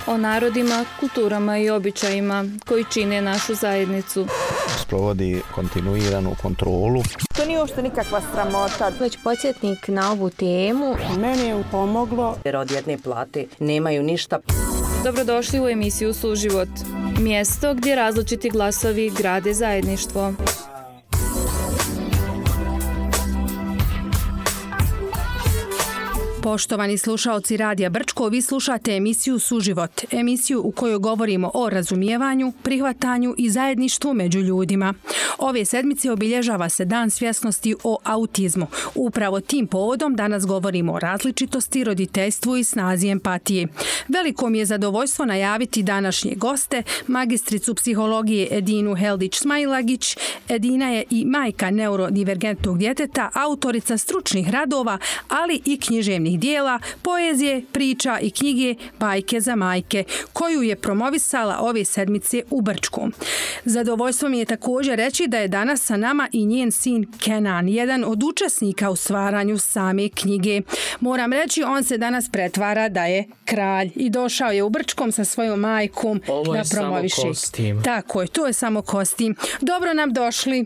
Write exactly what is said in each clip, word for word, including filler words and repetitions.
o narodima, kulturama i običajima koji čine našu zajednicu. Sprovodi kontinuiranu kontrolu. To nije uopšte nikakva sramota. Već podsjetnik na ovu temu. Meni je pomoglo. Jer od jedne plate nemaju ništa. Dobrodošli u emisiju Suživot. Mjesto gdje različiti glasovi grade zajedništvo. Poštovani slušaoci Radija Brčko, vi slušate emisiju Suživot, emisiju u kojoj govorimo o razumijevanju, prihvatanju i zajedništvu među ljudima. Ove sedmice obilježava se Dan svjesnosti o autizmu. Upravo tim povodom danas govorimo o različitosti, roditeljstvu i snazi empatije. Veliko mi je zadovoljstvo najaviti današnje goste, magistricu psihologije Edinu Heldić-Smailagić. Edina je i majka neurodivergentnog djeteta, autorica stručnih radova, ali i književnih dijela, poezije, priča i knjige Bajke za majke, koju je promovisala ove sedmice u Brčku. Zadovoljstvo mi je također reći da je danas sa nama i njen sin Kenan, jedan od učesnika u stvaranju same knjige. Moram reći, on se danas pretvara da je kralj i došao je u Brčkom sa svojom majkom Ovo da je promoviše. samo kostim. Tako je, to je samo kostim. Dobro nam došli.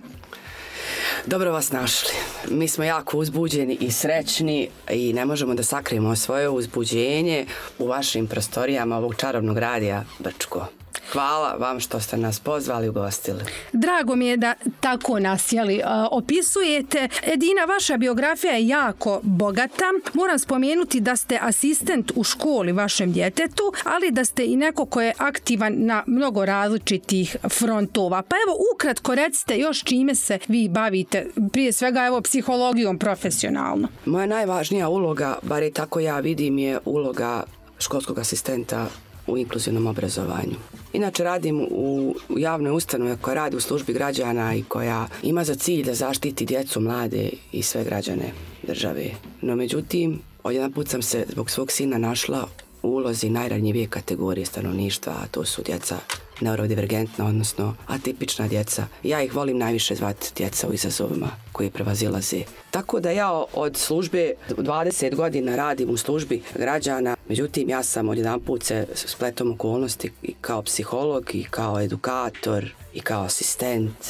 Dobro vas našli. Mi smo jako uzbuđeni i srećni i ne možemo da sakrijemo svoje uzbuđenje u vašim prostorijama ovog čarobnog radija Brčko. Hvala vam što ste nas pozvali i ugostili. Drago mi je da tako nas jeli, opisujete. Edina, vaša biografija je jako bogata. Moram spomenuti da ste asistent u školi vašem djetetu, ali da ste i neko ko je aktivan na mnogo različitih frontova. Pa evo, ukratko recite još čime se vi bavite, prije svega evo psihologijom profesionalno. Moja najvažnija uloga, bar je tako ja vidim, je uloga školskog asistenta u inkluzivnom obrazovanju. Inače radim u javnoj ustanovi koja radi u službi građana i koja ima za cilj da zaštiti djecu, mlade i sve građane države. No međutim, odjedan put sam se zbog svog sina našla u ulozi najranjivije kategorije stanovništva, a to su djeca neurodivergentna, odnosno atipična djeca. Ja ih volim najviše zvati djeca u izazovima koji prevazilaze. Tako da ja od službe dvadeset godina radim u službi građana, međutim ja sam odjedan put se spletom okolnosti i kao psiholog i kao edukator i kao asistent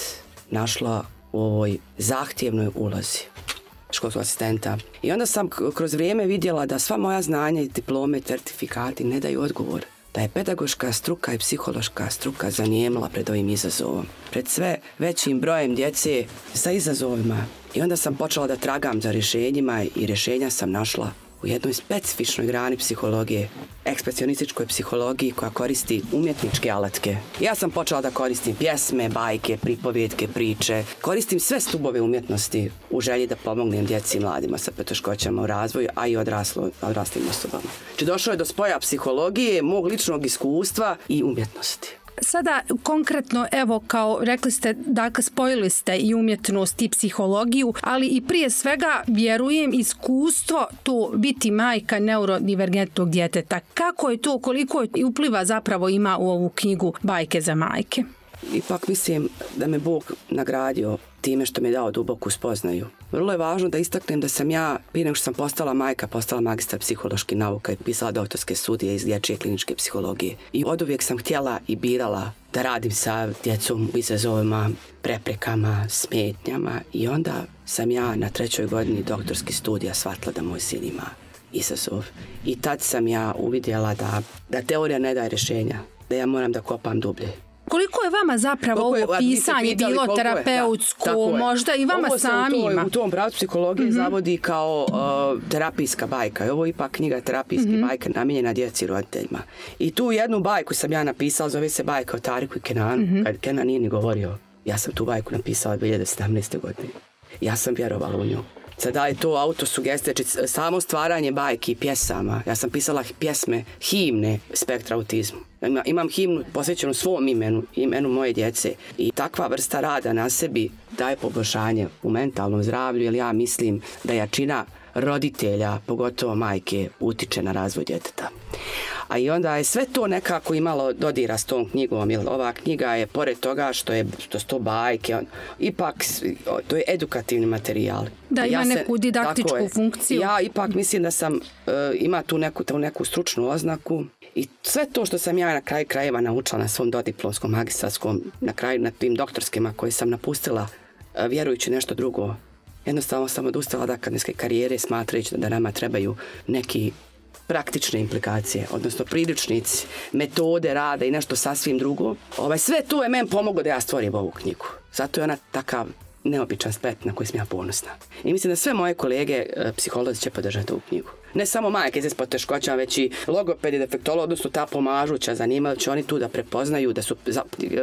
našla u ovoj zahtjevnoj ulozi školskog asistenta. I onda sam kroz vrijeme vidjela da sva moja znanja i diplome, certifikati ne daju odgovor. Da je pedagoška struka i psihološka struka zanijemila pred ovim izazovom. Pred sve većim brojem djece sa izazovima. I onda sam počela da tragam za rješenjima i rješenja sam našla u jednoj specifičnoj grani psihologije, ekspresionističkoj psihologiji koja koristi umjetničke alatke. Ja sam počela da koristim pjesme, bajke, pripovjetke, priče. Koristim sve stubove umjetnosti u želji da pomognem djeci i mladima sa poteškoćama u razvoju, a i odraslo, odraslim osobama. Znači došlo je do spoja psihologije, mog ličnog iskustva i umjetnosti. Sada konkretno, evo kao rekli ste, dakle spojili ste i umjetnost i psihologiju, ali i prije svega vjerujem iskustvo to biti majka neurodivergentnog djeteta. Kako je to, koliko je upliva zapravo ima u ovu knjigu Bajke za majke? Ipak mislim da me Bog nagradio time što mi je dao duboku spoznaju. Vrlo je važno da istaknem da sam ja, prije nego što sam postala majka, postala magistar psiholoških nauka i pisala doktorske studije iz dječje kliničke psihologije. I oduvijek sam htjela i birala da radim sa djecom u izazovima, preprekama, smetnjama i onda sam ja na trećoj godini doktorskih studija shvatila da moj sin ima izazov. I tad sam ja uvidjela da, da teorija ne daje rješenja, da ja moram da kopam dublje. Koliko je vama zapravo ovo pisanje bilo terapeutsko, da, možda i vama samima? U tom pravcu psihologije mm-hmm. zavodi kao uh, terapijska bajka. Ovo je ipak knjiga terapijske mm-hmm. bajke namijenjena djeci i roditeljima. I tu jednu bajku sam ja napisala, zove se bajka o Tariku i Kenanu, mm-hmm. kad Kenan nije ni govorio. Ja sam tu bajku napisala dvije hiljade sedamnaeste. godine. Ja sam vjerovala u nju. Sada je to autosugestija, znači samo stvaranje bajki i pjesama. Ja sam pisala pjesme, himne spektra autizmu. Ima, imam himnu posvećenu svom imenu, imenu moje djece. I takva vrsta rada na sebi daje poboljšanje u mentalnom zdravlju, jer ja mislim da jačina roditelja, pogotovo majke, utiče na razvoj djeteta. A i onda je sve to nekako imalo dodira s tom knjigom, jer ova knjiga je, pored toga što je što su to bajke, on, ipak to je edukativni materijal. Da, ima ja se, neku didaktičku funkciju. Ja ipak mislim da sam, uh, ima tu neku, tu neku stručnu oznaku i sve to što sam ja na kraju krajeva naučila na svom dodiplomskom, magistarskom, na kraju na tim doktorskima koje sam napustila, uh, vjerujući nešto drugo. Jednostavno sam odustala da akademske karijere smatrajući da nama trebaju neki praktične implikacije, odnosno priručnici, metode rada i nešto sasvim drugo. Ovaj, sve to je meni pomoglo da ja stvorim ovu knjigu. Zato je ona takav neobičan splet na koji sam ja ponosna. I mislim da sve moje kolege psiholozi će podržati ovu knjigu. Ne samo majke s poteškoćama, već i logopedi, defektolozi, odnosno ta pomažuća zanimanja, će oni tu da prepoznaju da su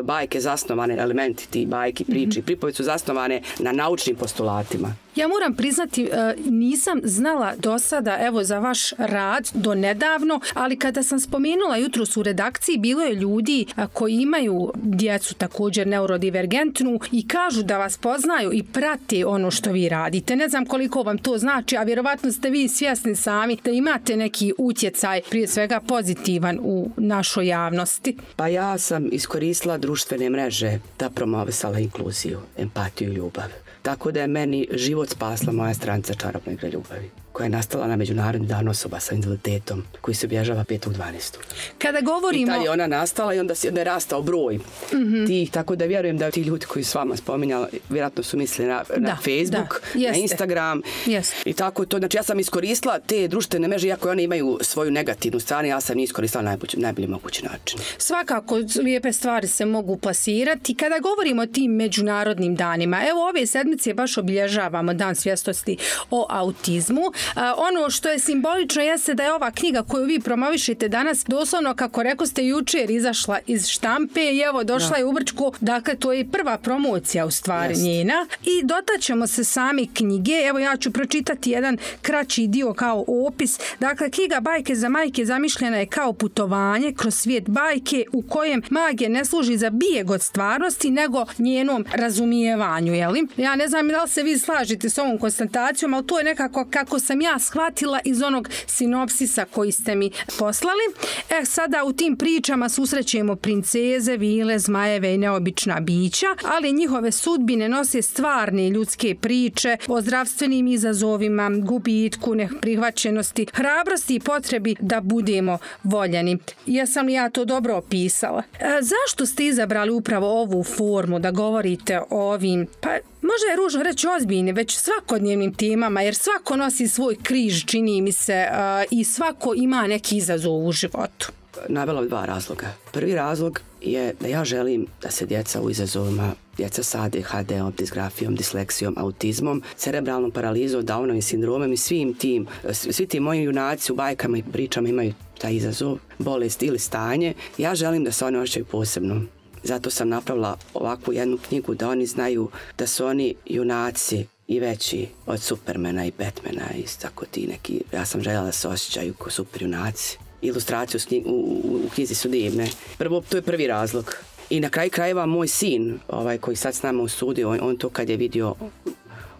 bajke zasnovane, elementi ti bajki, priči, mm-hmm. pripovedi su zasnovane na naučnim postulatima. Ja moram priznati, nisam znala do sada, evo, za vaš rad do nedavno, ali kada sam spomenula jutros u redakciji, bilo je ljudi koji imaju djecu također neurodivergentnu i kažu da vas poznaju i prate ono što vi radite. Ne znam koliko vam to znači, a vjerovatno ste vi svjesni sami da imate neki utjecaj, prije svega pozitivan, u našoj javnosti. Pa ja sam iskoristila društvene mreže da promovisala inkluziju, empatiju i ljubav. Tako da je meni život spasla moja stranica Čarobna igra ljubavi, koja je nastala na Međunarodni dan osoba sa invaliditetom, koji se obježava petog dvanaestog Kada govorimo... I tad je ona nastala i onda je rastao broj mm-hmm. tih, tako da vjerujem da ti ljudi koji su s vama spominjali, vjerojatno su mislili na, da, na Facebook, na Instagram Jeste. I tako to. Znači ja sam iskoristila te društvene mreže, iako one imaju svoju negativnu stranu, ja sam njih iskoristila na najbolji, najbolji mogući način. Svakako, lijepe stvari se mogu plasirati. Kada govorimo o tim međunarodnim danima, evo ove sedmice baš obilježavamo Dan svjesnosti o autizmu. A, ono što je simbolično jeste da je ova knjiga koju vi promovišete danas doslovno, kako rekao ste, jučer izašla iz štampe i evo došla je u Brčku. Dakle, to je prva promocija u stvari Jest. njena. I dotaćemo se sami knjige. Evo ja ću pročitati jedan kraći dio kao opis. Dakle, knjiga Bajke za majke zamišljena je kao putovanje kroz svijet bajke u kojem magija ne služi za bijeg od stvarnosti, nego njenom razumijevanju. Jeli? Ja ne znam da li se vi slažete s ovom konstatacijom, ali to je nekako kako sam ja shvatila iz onog sinopsisa koji ste mi poslali. E, sada u tim pričama susrećemo princeze, vile, zmajeve i neobična bića, ali njihove sudbine nose stvarne ljudske priče o zdravstvenim izazovima, gubitku, neprihvaćenosti, hrabrosti i potrebi da budemo voljeni. Jesam li ja to dobro opisala? E, zašto ste izabrali upravo ovu formu da govorite o ovim, pa možda je ružno reći ozbiljni, već svakodnevnim temama, jer svako nosi svoj križ, čini mi se, uh, i svako ima neki izazov u životu? Navela dva razloga. Prvi razlog je da ja želim da se djeca u izazovima, djeca sa A D H D-om, disgrafijom, disleksijom, autizmom, cerebralnom paralizom, Downovim sindromom i svim tim, svi ti moji junaci u bajkama i pričama imaju taj izazov, bolest ili stanje. Ja želim da se oni osjećaju posebno. Zato sam napravila ovakvu jednu knjigu da oni znaju da su oni junaci i veći od Supermana i Batmana i tako ti neki. Ja sam željela da se osjećaju kao super junaci. Ilustracije u, u, u knjizi su divne. Prvo, to je prvi razlog. I na kraju krajeva moj sin, ovaj koji sad s nama u studiju, on, on to kad je vidio,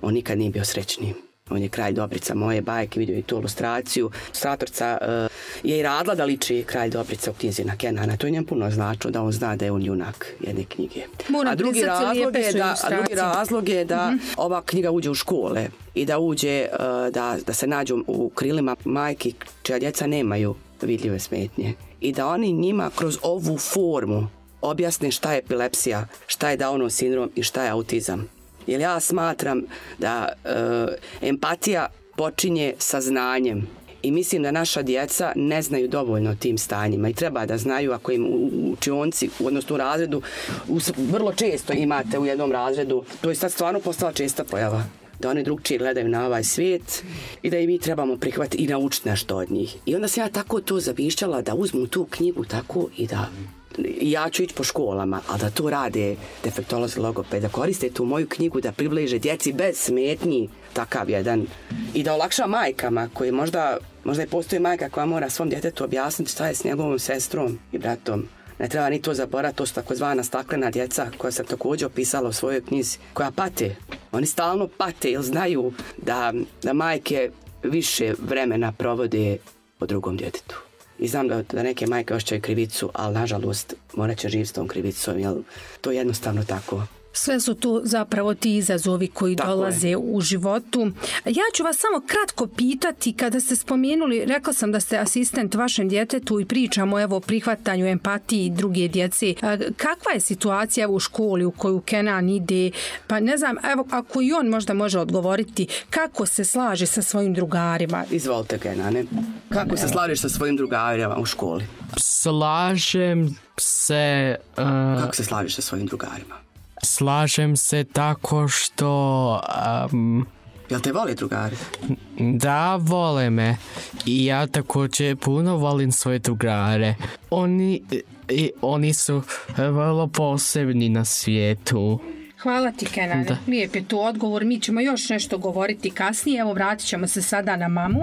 on nikad nije bio srećniji. On je Kralj Dobrica moje bajke, vidio i tu ilustraciju. Ilustratorca uh, je i radila da liči Kralj Dobrica u knjizi na Kenana. To je njem puno značilo da on zna da je on junak jedne knjige. Moram a drugi razlog je da, a drugi razlog je da mm-hmm. ova knjiga uđe u škole i da uđe, uh, da, da se nađu u krilima majki čija djeca nemaju vidljive smetnje. I da oni njima kroz ovu formu objasne šta je epilepsija, šta je Downov sindrom i šta je autizam. Jer ja smatram da e, empatija počinje sa znanjem i mislim da naša djeca ne znaju dovoljno o tim stanjima i treba da znaju ako im u učionci, odnosno u razredu, u, vrlo često imate u jednom razredu, to je sad stvarno postala česta pojava, da oni drugčije gledaju na ovaj svijet i da i mi trebamo prihvatiti i naučiti nešto od njih. I onda sam ja tako to zavišćala da uzmu tu knjigu tako i da ja ću ići po školama, ali da to rade defektolozi, logopedi, da koriste tu moju knjigu da približe djeci bez smetnji takav jedan i da olakša majkama koji možda, možda je postoji majka koja mora svom djetetu objasniti šta je s njegovom sestrom i bratom. Ne treba ni to zaboraviti, to su takozvana staklena djeca koja sam također opisala u svojoj knjizi, koja pate. Oni stalno pate jer znaju da, da majke više vremena provode o drugom djetetu. I znam da, da neke majke osjećaju krivicu, ali nažalost morat će živjeti s tom krivicom, jer to je jednostavno tako. Sve su tu zapravo ti izazovi koji Tako dolaze je. u životu. Ja ću vas samo kratko pitati, kada ste spomenuli, rekla sam da ste asistent vašem djetetu i pričamo evo, o prihvatanju, empatiji druge djece. Kakva je situacija evo, u školi u koju Kenan ide? Pa ne znam, evo, ako i on možda može odgovoriti, kako se slaže sa svojim drugarima? Izvolite, Kenane. Kako se slažeš sa svojim drugarima u školi? Slažem se... Uh... Kako se slažeš sa svojim drugarima? Slažem se tako što... Um, Jel te vole drugari? Da, vole me. I ja također puno volim svoje drugare. Oni, i, oni su vrlo posebni na svijetu. Hvala ti, Kenane. Da. Lijep je to odgovor. Mi ćemo još nešto govoriti kasnije. Evo, vratit ćemo se sada na mamu.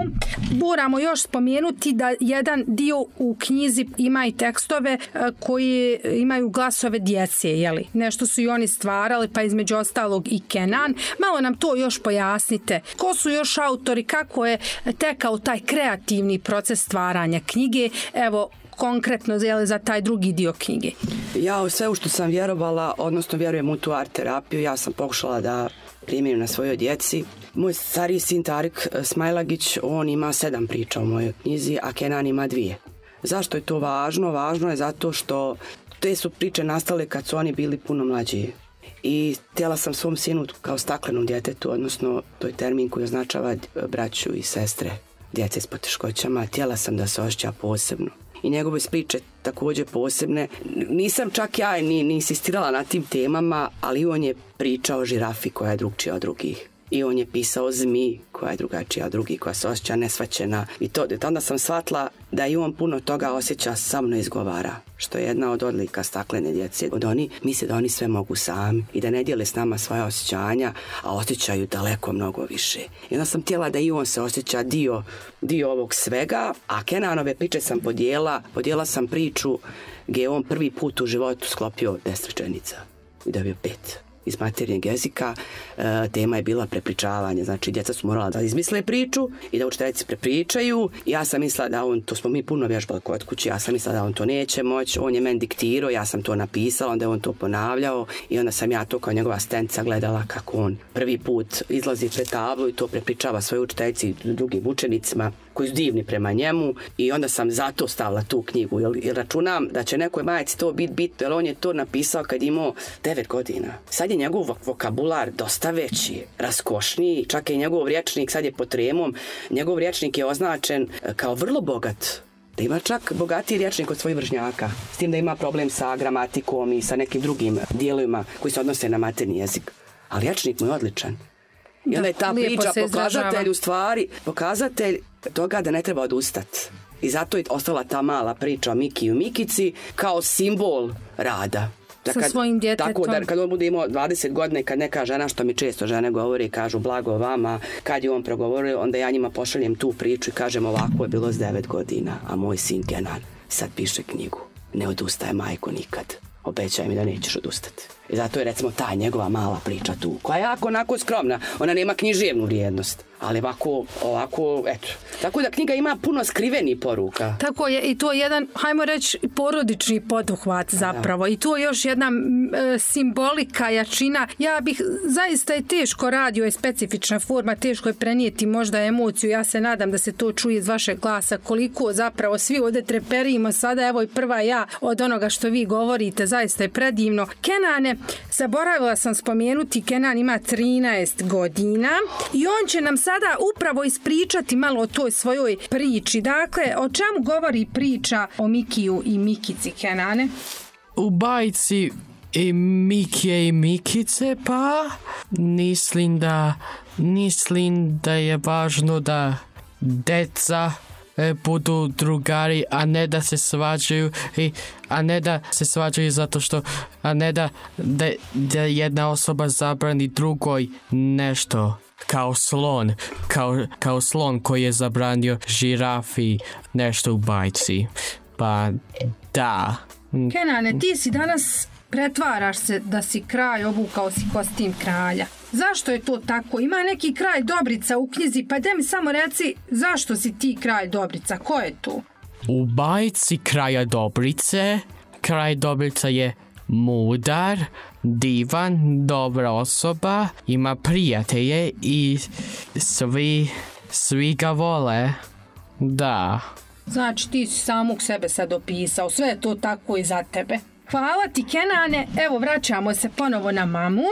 Moramo još spomenuti da jedan dio u knjizi ima i tekstove koji imaju glasove djece, jeli? Nešto su i oni stvarali, pa između ostalog i Kenan. Malo nam to još pojasnite. Ko su još autori, kako je tekao taj kreativni proces stvaranja knjige? Evo, konkretno jeli, za taj drugi dio knjige. Ja u sve u što sam vjerovala, odnosno vjerujem u tu art terapiju, ja sam pokušala da primjerim na svojoj djeci. Moj stariji sin Tarik Smajlagić, on ima sedam priča u mojoj knjizi, a Kenan ima dvije. Zašto je to važno? Važno je zato što te su priče nastale kad su oni bili puno mlađi. I htjela sam svom sinu kao staklenom djetetu, odnosno to je termin koji označava braću i sestre, djece s poteškoćama, htjela sam da se osjeća posebno. I njegove priče također posebne. Nisam čak ja ni, ni insistirala na tim temama, ali on je pričao o žirafi koja je drugčija od drugih. I on je pisao o zmiji koja je drugačija od drugih, koja se osjeća nesvaćena. I to, onda sam shvatila da i on puno toga osjeća, sam ne izgovara. Što je jedna od odlika staklene djece. Od oni misle da oni sve mogu sami i da ne dijele s nama svoje osjećanja, a osjećaju daleko mnogo više. I onda sam htjela da i on se osjeća dio, dio ovog svega, a Kenanove priče sam podijela. Podijela sam priču gdje je on prvi put u životu sklopio deset rečenica i dobio pet. Iz materinjeg jezika, e, tema je bila prepričavanje, znači djeca su morala da izmisle priču i da učiteljici prepričaju. Ja sam mislila da on, to smo mi puno vježbali kod kuće, ja sam mislila da on to neće moći, on je meni diktirao, ja sam to napisala, onda je on to ponavljao i onda sam ja to kao njegova asistentica gledala kako on prvi put izlazi pred tablu i to prepričava svojoj učiteljici i drugim učenicima koji su divni prema njemu i onda sam zato stavila tu knjigu, jer, jer računam da će nekoj majci to biti bitno, jer on je to napisao kad je imao devet godina. Sad je njegov vokabular dosta veći, raskošniji, čak i njegov rječnik sad je pod tremom, njegov rječnik je označen kao vrlo bogat. Da ima čak bogatiji rječnik od svojih vršnjaka, s tim da ima problem sa gramatikom i sa nekim drugim dijelovima koji se odnose na materni jezik. Ali rječnik mu je odličan. I onda je ta priča pokazatelj u stvari, pokazatelj toga da ne treba odustati. I zato je ostala ta mala priča o Miki i Mikici kao simbol rada. Da sa kad, svojim djetetom. Tako da kad on bude imao dvadeset godina i kad neka žena, što mi često žene govore i kažu blago vama, kad je on progovorio, onda ja njima pošaljem tu priču i kažem ovako je bilo s devet godina, a moj sin Kenan sad piše knjigu. Ne odustaje majko nikad. Obećaj mi da nećeš odustati. I zato je recimo ta njegova mala priča tu, koja je jako onako skromna. Ona nema književnu vrijednost, ali ovako, ovako, eto. Tako da knjiga ima puno skrivenih poruka. Tako je, i to je jedan, hajmo reći, porodični poduhvat zapravo. Da. I to je još jedna e, simbolika, jačina. Ja bih, zaista je teško, radio je specifična forma, teško je prenijeti možda emociju. Ja se nadam da se to čuje iz vašeg glasa, koliko zapravo svi ovdje treperimo sada, evo i prva ja od onoga što vi govorite, zaista je predivno. Kenane, zaboravila sam spomenuti, Kenan ima trinaest godina i on će nam sada upravo ispričati malo o toj svojoj priči. Dakle, o čemu govori priča o Mikiju i Mikici, Kenane? U bajci i Mikije i Mikice, pa mislim da mislim da je važno da deca budu drugari, a ne da se svađaju i, a ne da se svađaju zato što a ne da, da, da jedna osoba zabrani drugoj nešto, kao slon kao, kao slon koji je zabranio žirafi nešto u bajci. Pa da. Kenane, ti si danas pretvaraš se da si kralj, obukao si kostim kralja. Zašto je to tako? Ima neki kralj Dobrica u knjizi, pa daj mi samo reci zašto si ti kralj Dobrica, ko je to? U bajci Kralja Dobrice, kralj Dobrica je mudar, divan, dobra osoba, ima prijatelje i svi, svi ga vole. Da. Znači ti si samog sebe sad opisao, sve je to tako i za tebe. Hvala ti, Kenane. Evo, vraćamo se ponovo na mamu.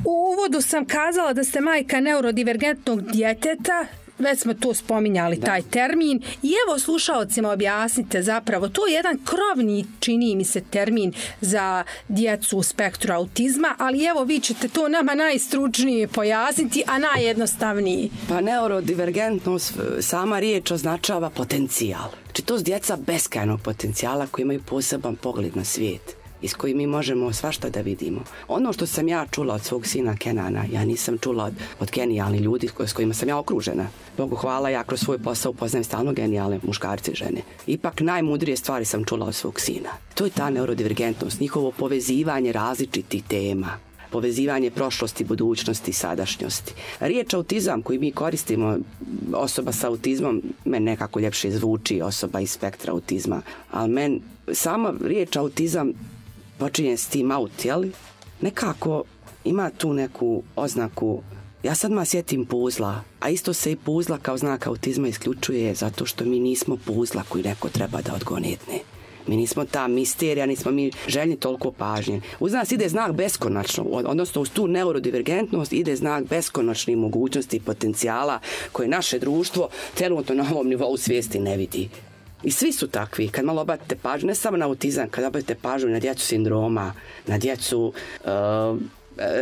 U uvodu sam kazala da ste majka neurodivergentnog djeteta, već smo to spominjali, da. Taj termin. I evo, slušalcima objasnite zapravo, to je jedan krovni, čini mi se, termin za djecu u spektru autizma, ali evo, vi ćete to nama najstručnije pojasniti, a najjednostavniji. Pa neurodivergentnost, sama riječ označava potencijal. Znači, to su djeca beskrajnog potencijala koji imaju poseban pogled na svijet, iz koji mi možemo svašta da vidimo. Ono što sam ja čula od svog sina Kenana, ja nisam čula od, od genijalnih ljudi s kojima sam ja okružena. Bogu hvala, ja kroz svoj posao upoznajem stalno genijalne muškarce i žene. Ipak najmudrije stvari sam čula od svog sina. To je ta neurodivergentnost, njihovo povezivanje različitih tema. Povezivanje prošlosti, budućnosti i sadašnjosti. Riječ autizam koju mi koristimo, osoba sa autizmom, meni nekako ljepše zvuči osoba iz spektra autizma, ali meni sama riječ autizam počinje s tim aut, jeli? Nekako ima tu neku oznaku. Ja sad ma sjetim puzla, a isto se i puzla kao znak autizma isključuje zato što mi nismo puzla koji neko treba da odgonetne. Mi nismo ta misterija, nismo mi željni toliko pažnje. Uz nas ide znak beskonačno, odnosno uz tu neurodivergentnost ide znak beskonačnih mogućnosti i potencijala koje naše društvo trenutno na ovom nivou svijesti ne vidi. I svi su takvi. Kad malo obratite pažnju, ne samo na autizam, kad obratite pažnju na djecu sindroma, na djecu uh,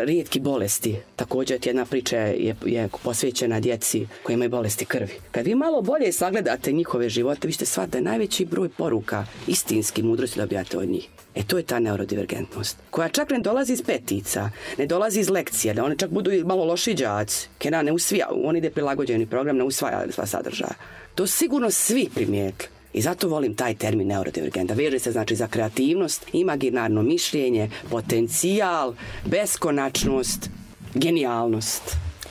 rijetki bolesti. Također jedna priča je, je posvećena djeci koji imaju bolesti krvi. Kad vi malo bolje sagledate njihove živote, vi ćete shvatiti da je najveći broj poruka istinski mudrosti dobijate od njih. E to je ta neurodivergentnost, koja čak ne dolazi iz petica, ne dolazi iz lekcija, da oni čak budu malo loši đaci. Kenan ne usvaja, on ide prilagođeni program, ne usvaja sva sadržaja. To sigurno svi primijetili. I zato volim taj termin neurodivergenta. Veže se znači za kreativnost, imaginarno mišljenje, potencijal, beskonačnost, genijalnost.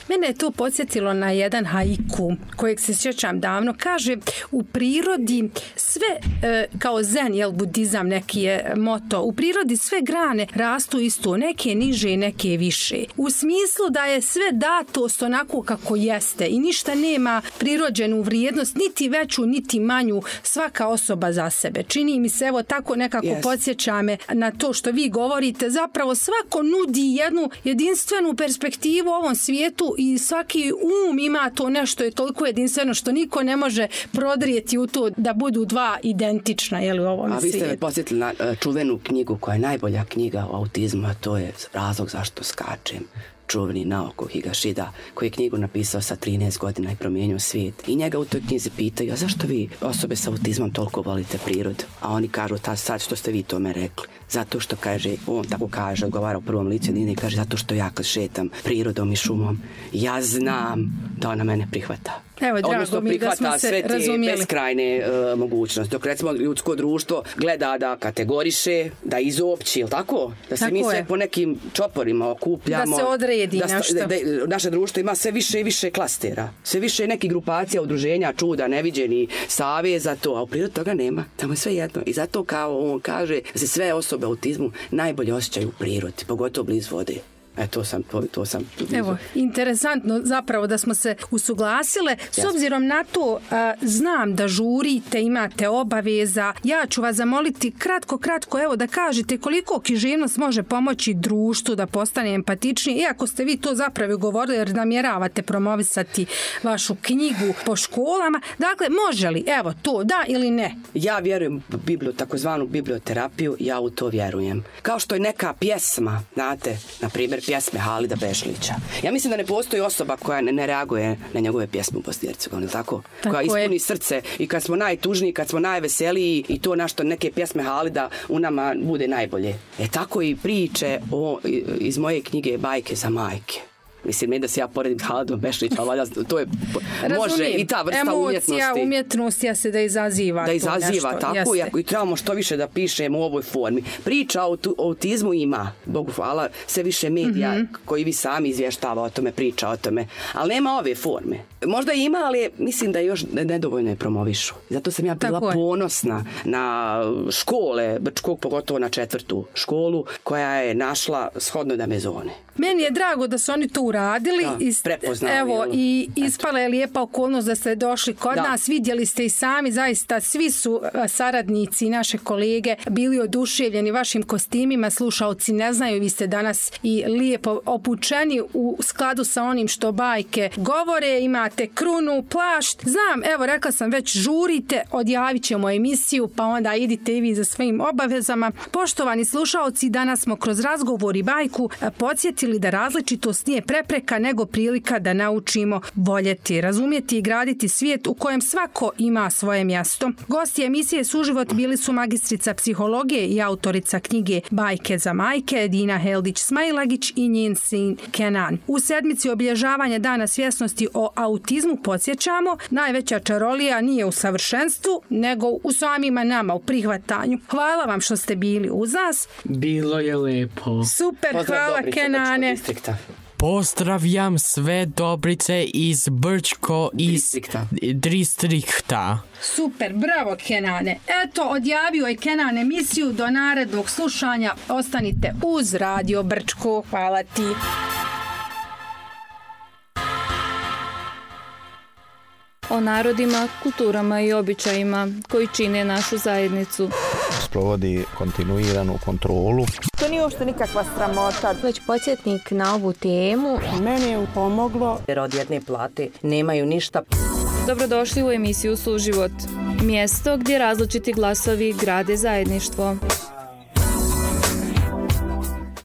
Mene je to podsjetilo na jedan haiku kojeg se sjećam davno. Kaže, u prirodi sve, e, kao zen, jel, budizam neki je moto, u prirodi sve grane rastu isto, neke niže, neke više. U smislu da je sve datost onako kako jeste i ništa nema prirođenu vrijednost, niti veću, niti manju, svaka osoba za sebe. Čini mi se, evo, tako nekako yes. podsjeća me na to što vi govorite. Zapravo svako nudi jednu jedinstvenu perspektivu u ovom svijetu i svaki um ima to nešto je toliko jedinstveno što niko ne može prodrijeti u to da budu dva identična, jel, u ovom svijetu. A vi ste me podsjetili na čuvenu knjigu koja je najbolja knjiga o autizmu, a to je Razlog zašto skačem. Čuveni Naoko Higashida, koji je knjigu napisao sa trinaest godina i promijenio svijet. I njega u toj knjizi pitaju, a zašto vi osobe sa autizmom toliko volite prirodu? A oni kažu, ta sad što ste vi tome rekli. Zato što, kaže, on tako kaže, odgovara u prvom licu i kaže, zato što ja kad šetam prirodom i šumom, ja znam da ona mene prihvata. Evo, drago mi da smo se razumijeli. Odnosno prihvata sve te beskrajne uh, mogućnosti. Dok recimo ljudsko društvo gleda da kategoriše, da izopći, ili tako? Da se tako mi sve je. Po nekim čoporima okupljamo. Da se odredi da, nešto. Da, da, naše društvo ima sve više i više klastera. Sve više nekih grupacija, udruženja, čuda, neviđeni, saveza, to. A u prirodi toga nema. Tamo je sve jedno. I zato kao on kaže da se sve osobe autizmu najbolje osjećaju u prirodi, pogotovo blizu vode. E, to sam, to, to sam. Evo, interesantno zapravo da smo se usuglasile. S Jasne. Obzirom na to, a, znam da žurite, imate obaveza. Ja ću vas zamoliti kratko, kratko, evo da kažete koliko književnost može pomoći društvu da postane empatičnije. Iako ste vi to zapravo govorili jer namjeravate promovisati vašu knjigu po školama. Dakle, može li, evo, to da ili ne? Ja vjerujem u biblio, takozvanu biblioterapiju, ja u to vjerujem. Kao što je neka pjesma, znate, na primjer pjesme Halida Bešlića. Ja mislim da ne postoji osoba koja ne, ne reaguje na njegove pjesme u Bosni i Hercegovini, tako? tako? Koja ispuni je. Srce i kad smo najtužniji, kad smo najveseliji i to našto neke pjesme Halida u nama bude najbolje. E tako i priče o, iz moje knjige Bajke za majke. Mislim, ne da se ja poredim Haladom Bešlić, ali valjda to je, može Razumijem. i ta vrsta Emocija, umjetnosti. umjetnost ja se da izaziva. Da izaziva, nešto, tako, jeste. i, i trebamo što više da pišemo u ovoj formi. Priča o tu- o autizmu ima, Bogu hvala, sve više medija Mhm. koji vi sami izvještava o tome, priča o tome, ali nema ove forme. Možda ima, ali mislim da još nedovoljno je promovišu. Zato sam ja bila Tako je. ponosna na škole, Brčkog, pogotovo na četvrtu školu, koja je našla shodno da me zone. Meni je drago da su oni to uradili. Da, i, prepoznali, evo, jel? i ispala je lijepa okolnost da ste došli kod Da. nas. Vidjeli ste i sami, zaista svi su a, saradnici i naše kolege bili oduševljeni vašim kostimima. Slušaoci ne znaju, vi ste danas i lijepo opučeni u skladu sa onim što bajke govore. Imate krunu, plašt. Znam, evo, rekla sam već, žurite, odjavit ćemo emisiju, pa onda idite i vi za svojim obavezama. Poštovani slušaoci, danas smo kroz razgovor i bajku a, podsjetili da različitost nije prepreka nego prilika da naučimo voljeti, razumjeti i graditi svijet u kojem svako ima svoje mjesto. Gosti emisije Suživot bili su magistrica psihologije i autorica knjige Bajke za majke Dina Heldić-Smailagić i njen sin Kenan. U sedmici obilježavanja Dana svjesnosti o autizmu podsjećamo, najveća čarolija nije u savršenstvu nego u samima nama, u prihvatanju. Hvala vam što ste bili uz nas. Bilo je lepo. Super, Pozdrav hvala Dobrice, Kenane. Brčkog distrikta. Pozdravljam sve Dobrice iz Brčko iz Distrikta. distrikta. Super, bravo Kenane. Eto, odjavio je Kenan emisiju, do narednog slušanja. Ostanite uz Radio Brčko. Hvala ti. O narodima, kulturama i običajima koji čine našu zajednicu. Sprovodi kontinuiranu kontrolu. To nije uopšte nikakva sramota. Već podsjetnik na ovu temu. Meni je pomoglo. Jer od jedne plate nemaju ništa. Dobrodošli u emisiju Suživot. Mjesto gdje različiti glasovi grade zajedništvo.